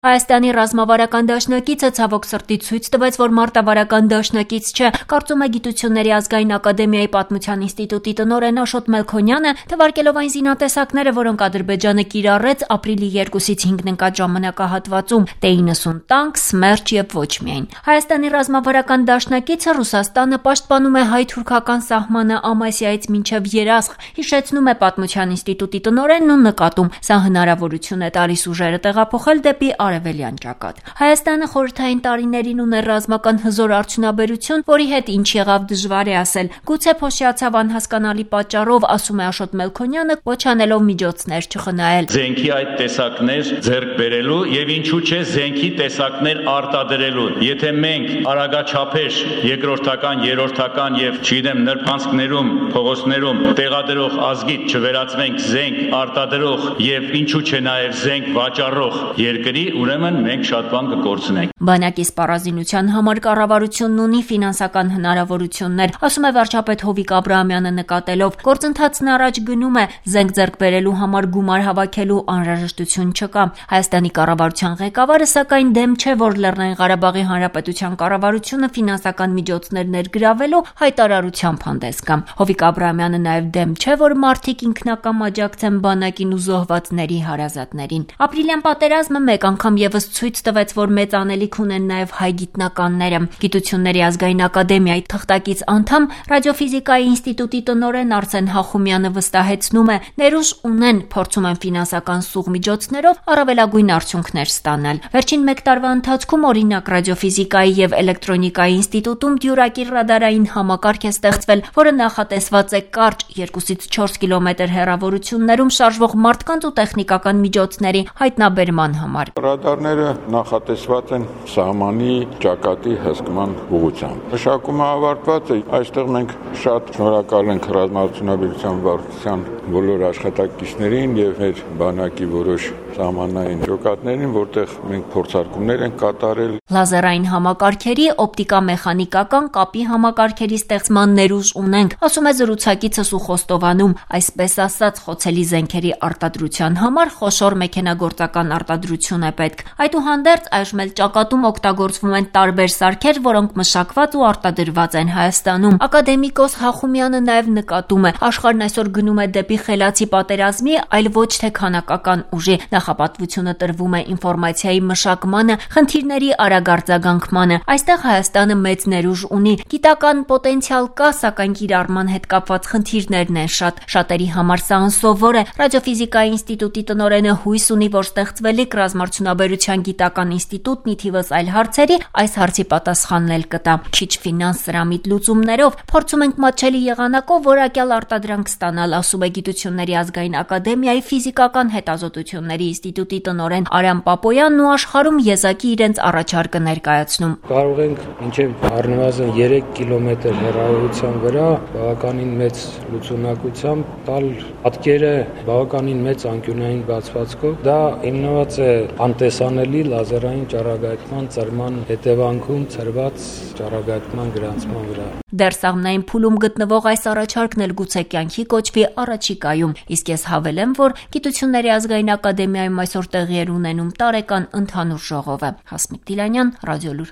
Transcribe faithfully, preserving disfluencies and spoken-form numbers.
Հայաստանի ռազմավարական դաշնակիցը ցավոք սրտի ցույց տվեց, որ մարտավարական դաշնակից չէ, կարծում է Գիտությունների ազգային ակադեմիայի պատմության ինստիտուտի տնօրեն Աշոտ Մելքոնյանը, թվարկելով այն զինատեսակները, որոնք Ադրբեջանը կիրառեց ապրիլի երկուսից հինգն ընկած ժամանակահատվածում, դե իննսուն տանկ, սմերջ եւ ոչ միայն։ Հայաստանի ռազմավարական դաշնակիցը Ռուսաստանը պաշտպանում է հայ-թուրքական սահմանը Ամասիայից մինչև Երասխ, հիշեցնում է պատմության ինստիտուտի տնօրենն ու նկատում, սա հնարավորություն է տալիս ուժերը տեղափոխել դեպի արևելյան ճակատ։ Հայաստանը խորհրդային տարիներին ուներ ռազմական հզոր արդյունաբերություն, որի հետ ինչ եղավ դժվար է ասել։ Գուցե փոշիացավ անհասկանալի պատճառով, ասում է Աշոտ Մելքոնյանը, ոչ անելով միջոցներ չխնայել։ Զենքի այդ տեսակներ ձեռք բերելու եւ ինչու՞ չէ զենքի տեսակներ արտադրելու։ Եթե մենք արագաչափեր երկրորդական, երրորդական եւ չգիտեմ նրբանցքներում, փողոցներում տեղադրող ազգից չվերածվենք զենք արտադրող եւ ինչու՞ չէ նաեւ զենք վաճառող երկրի, ուրեմն մենք շատ բան կկորցնենք։ Բանակի սպառազինության համար կառավարությունն ունի ֆինանսական հնարավորություններ, ասում է վարչապետ Հովիկ Աբրահամյանը նկատելով։ Գործընթացն առաջ գնում է, զենք ձեռք բերելու համար գումար հավաքելու անհրաժեշտություն չկա։ Հայաստանի կառավարության ղեկավարը սակայն դեմ չէ, որ Լեռնային Ղարաբաղի Հանրապետության կառավարությունը ֆինանսական միջոցներ ներգրավելու հայտարարությամբ հանդես գա։ Հովիկ Աբրահամյանը նաև դեմ չէ, որ մարդիկ ինքնակամ աջակցեն բանակին ու զոհվածների հարազատներին։ Ապրիլյան պատերազմը մեկ անգամ եւս ցույց տվեց, որ մեծ անելիք ունեն նաև հայ գիտնականները։ Գիտությունների ազգային ակադեմիայի թղթակից անդամ ռադիոֆիզիկայի ինստիտուտի տնօրեն Արսեն Հախոմյանը վստահեցնում է, ներուժ ունեն, փորձում են ֆինանսական սուղ միջոցներով առավելագույն արդյունքներ ստանալ։ Վերջին մեկ տարվա ընթացքում օրինակ ռադիոֆիզիկայի եւ էլեկտրոնիկայի ինստիտուտում դյուրակիր ռադարային համակարգ է ստեղծվել, որը նախատեսված է կարճ երկուսից չորս կիլոմետր հեռավորություններում շարժվող մարդկանց ու տեխնիկական միջոցների հայտնաբերման համար։ Ռադարները նախատեսված են սահմանի ճակատի հսկման ուղղությամբ։ Մշակումը ավարտված է, այստեղ մենք շատ շնորհակալ ենք ռազմաարդյունաբերության վարչության բոլոր աշխատակիցներին եւ մեր բանակի որոշ սահմանային ջոկատներին, որտեղ մենք փորձարկումներ ենք կատարել։ Լազերային համակարգերի, օպտիկա-մեխանիկական, կապի համակարգերի ստեղծման ներուժ ունենք, ասում է զրուցակիցս ու խոստովանում, այսպես ասած, խոցելի զենքերի արտադրության համար խոշոր մեքենագործական արտադրություն է պետք։ Այդուհանդերձ այժմ էլ ճակատում օգտագործվում են տարբեր սարքեր, որոնք մշակված ու արտադրված են Հայաստանում։ Ակադեմիկոս Հախոմյանը նաև նկատում է, աշխարհն այսօր գնում է դեպի խելացի պատերազմի, այլ ոչ թե քանակական ուժի։ Նախապատվությունը տրվում է ինֆորմացիայի մշակմանը, խնդիրների արագ արձագանքմանը։ Այստեղ Հայաստանը մեծ ներուժ ունի, գիտական պոտենցիալ կա, սակայն կիրառման հետ կապված խնդիրներն են շատ։ Շատերի համար սա անսովոր է։ Ռադիոֆիզիկայի ինստիտուտի տնօրենը հույս ունի, որ ստեղծվելիք ռազմաարդյունաբերության գիտական ինստիտուտն ի թիվս այլ հարցերի այս հարցի պատասխանն էլ կտա։ Քիչ ֆինանս սրամիտ լուծումներով փորձում ենք մատչելի եղանակով որակյալ արտադրանք ստանալ, ասում է Գիտությունների ազգային ակադեմիայի ֆիզիկական հետազոտությունների ինստիտուտի տնօրեն Արամ Պապոյանն ու աշխարհում եզակի իրենց առաջարկը ներկայացնում։ Կարող ենք մինչև առնվազն երեք կիլոմետր հեռավորության վրա բավականին մեծ լուծունակությամբ տալ պատկերը բավականին մեծ անկյունային բացվածքով։ Դա հիմնված է անտեսանելի լազերային ճառագայթման ծրման հետևանքում ծրված ճառագայթման գրանցման վրա։ Դեռ սաղմնային փուլում գտնվող այս առաջարկն էլ գուցե կյանքի կոչվի առաջիկայում, իսկ ես հավելեմ, որ Գիտությունների ազգային ակադեմիայում այսօր տեղի էր ունենում տարեկան ընդհանուր ժողովը։ Հասմիկ Դիլանյան, Ռադիոլուր։